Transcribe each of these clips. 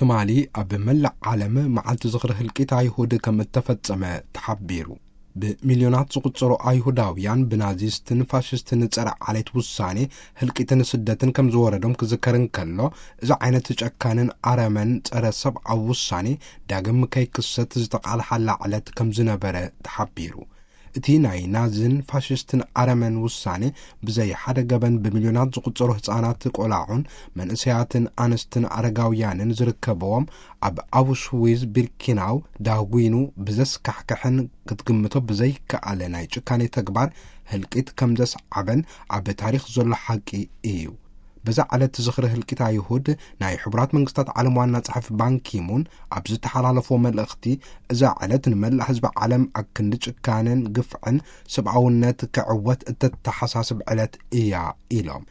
ትማሊ ኣብ መላእ ዓለም መዓልቲ ዝኽሪ ህልቂት ኣይሁድ ከም እተፈጸመ ተሓቢሩ። ብሚልዮናት ዝቑጸሩ ኣይሁዳውያን ብናዚስትን ፋሽስትን ጸረ ዓሌት ውሳኔ ህልቂትን ስደትን ከም ዝወረዶም ክዝከር እንከሎ፣ እዚ ዓይነት ጨካንን ኣረመን ጸረ ሰብኣዊ ውሳኔ ዳግም ከይክሰት ዝተቓልሓላ ዕለት ከም ዝነበረ ተሓቢሩ። እቲ ናይ ናዝን ፋሽስትን ኣረመን ውሳኔ ብዘይ ሓደ ገበን ብሚልዮናት ዝቑጸሩ ህጻናት፣ ቆላዑን መንእሰያትን ኣንስትን ኣረጋውያንን ዝርከብዎም ኣብ ኣውሽዊዝ ቢርኪናው ዳጒኑ ብዘስካሕክሕን ክትግምቶ ብዘይከኣለ ናይ ጭካኔ ተግባር ህልቂት ከም ዘስዓበን ኣብ ታሪኽ ዘሎ ሓቂ እዩ። በዛ ዕለት ዝኽሪ ህልቂት ኣይሁድ ናይ ሕቡራት መንግስታት ዓለም ዋና ጸሓፊ ባንኪሙን ኣብ ዝተሓላለፎ መልእኽቲ፣ እዛ ዕለት ንመላእ ህዝቢ ዓለም ኣብ ክንዲ ጭካነን ግፍዕን ሰብኣውነት ክዕወት እተተሓሳስብ ዕለት እያ ኢሎም።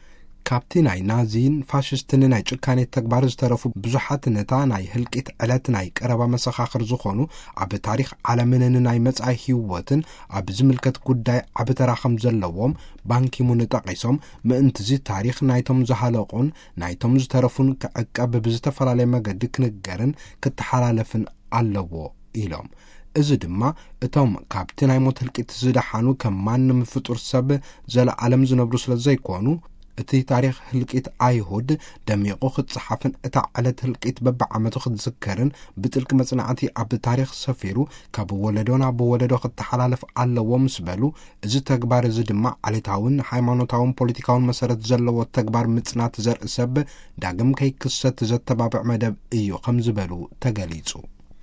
ካብቲ ናይ ናዚን ፋሽስትን ናይ ጭካኔ ተግባር ዝተረፉ ብዙሓት ነታ ናይ ህልቂት ዕለት ናይ ቀረባ መሰኻኽር ዝኾኑ፣ ኣብ ታሪኽ ዓለምን ንናይ መጻኢ ህይወትን ኣብ ዝምልከት ጉዳይ ዓቢ ተራ ከም ዘለዎም ባንኪሙን ጠቒሶም፣ ምእንትዚ ታሪኽ ናይቶም ዝሃለቑን ናይቶም ዝተረፉን ክዕቀብ ብዝተፈላለየ መገዲ ክንገርን ክተሓላለፍን ኣለዎ ኢሎም። እዚ ድማ እቶም ካብቲ ናይ ሞት ህልቂት ዝደሓኑ ከም ማንም ፍጡር ሰብ ዘለዓለም ዝነብሩ ስለ ዘይኮኑ፣ እቲ ታሪኽ ህልቂት ኣይሁድ ደሚቑ ክጸሓፍን እታ ዕለት ህልቂት በብዓመቱ ክትዝከርን ብጥልቂ መጽናዕቲ ኣብ ታሪኽ ሰፊሩ ካብ ወለዶ ናብ ወለዶ ክተሓላለፍ ኣለዎ ምስ በሉ፣ እዚ ተግባር እዚ ድማ ዓሌታውን ሃይማኖታውን ፖለቲካውን መሰረት ዘለዎ ተግባር ምጽናት ዘርኢ ሰብ ዳግም ከይክሰት ዘተባብዕ መደብ እዩ ከም ዝበሉ ተገሊጹ።